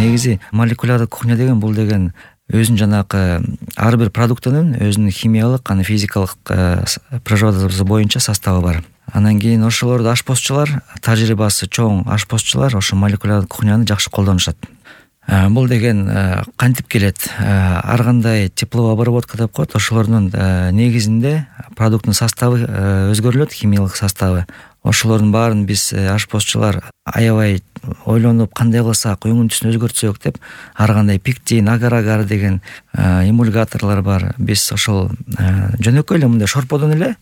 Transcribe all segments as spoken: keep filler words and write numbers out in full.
негизи молекулярдык кухня деген бул деген өзүнүн жанагы ар бир продуктунун өзүнүн химиялык, аны физикалык природасы боюнча составы бар. Анан кийин ошолорду ашпозчулар, тажрыйбасы чоң ашпозчулар ошо молекулярдык кухняны жакшы колдонушат. Бул деген кантип келет? Ар кандай тепловой обработка деп коет, ошолордун негизинде продукттун составы өзгөрүлөт, химиялык составы. Ошолордун баарын биз ашпозчулар аябай ойлонуп, кандай кылсак, өңүн түсүн өзгөртсөк деп, ар кандай пектин, агар-агар деген эмульгаторлор бар. Биз ошол жөнөкөй эле мындай шорподон эле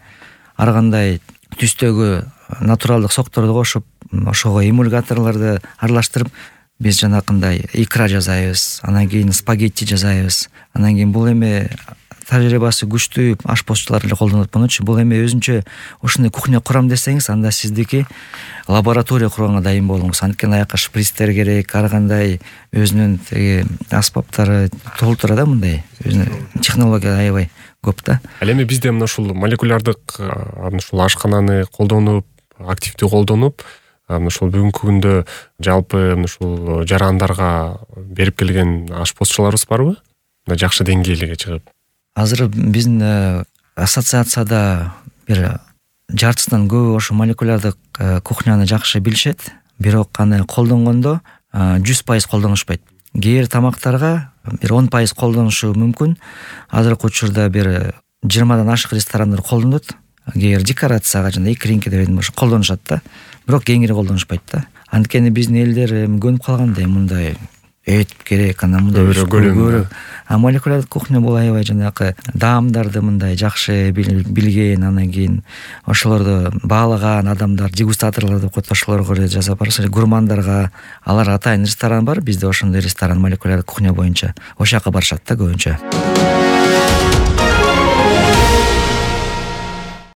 ар кандай түстөгү натуралдык сокторду кошуп, ошого эмульгаторлорду аралаштырып, биз жанакындай икра жасайбыз, анан кийин спагетти жасайбыз. Анан кийин бул эми тажрыйбасы күчтүү ашпозчулар эле колдонот мунучу. Бул эми өзүнчө ушундай кухня курам десеңиз, анда сиздики лаборатория курганга дайын болуңуз. Анткени аяка шприцтер керек, ар кандай өзүнүн тиги аспаптары толтура да, мындай өзүнүн технология аябай көп да. Ал эми бизде мына ушул молекулярдык ушул ашкананы колдонуп, активдүү колдонуп, мына ушул бүгүнкү күндө жалпы мына ушул жарандарга берип келген ашпозчуларыбыз барбы? Мына жакшы деңгээлге чыгып. Азыр биздин ассоциацияда бир жартысынан көбү ошо молекулярдык кухняны жакшы билишет, бирок аны колдонгондо жүз пайыз колдонушпайт. Кээ бир тамактарга бир он пайыз колдонушу мүмкүн. Азыркы учурда бир жыйырмадан ашык ресторандар колдонот. Кээ бир декорацияга жана икринке деп ошо колдонушат да. Бирок кеңири колдонушпайт да. Анткени биздин элдер көнүп калгандай, мындай эт керек, анан мындай көрөк. А молекулярдык кухня бул аябай жанагы даамдарды мындай жакшы билген, анан кийин ошолорду баалаган адамдар, дегустаторлор деп коет, ошолорго жасап барса, гурмандарга, алар атайын ресторан бар, бизде ошондой ресторан молекулярдык кухня боюнча. Ошол жака барышат да көбүнчө.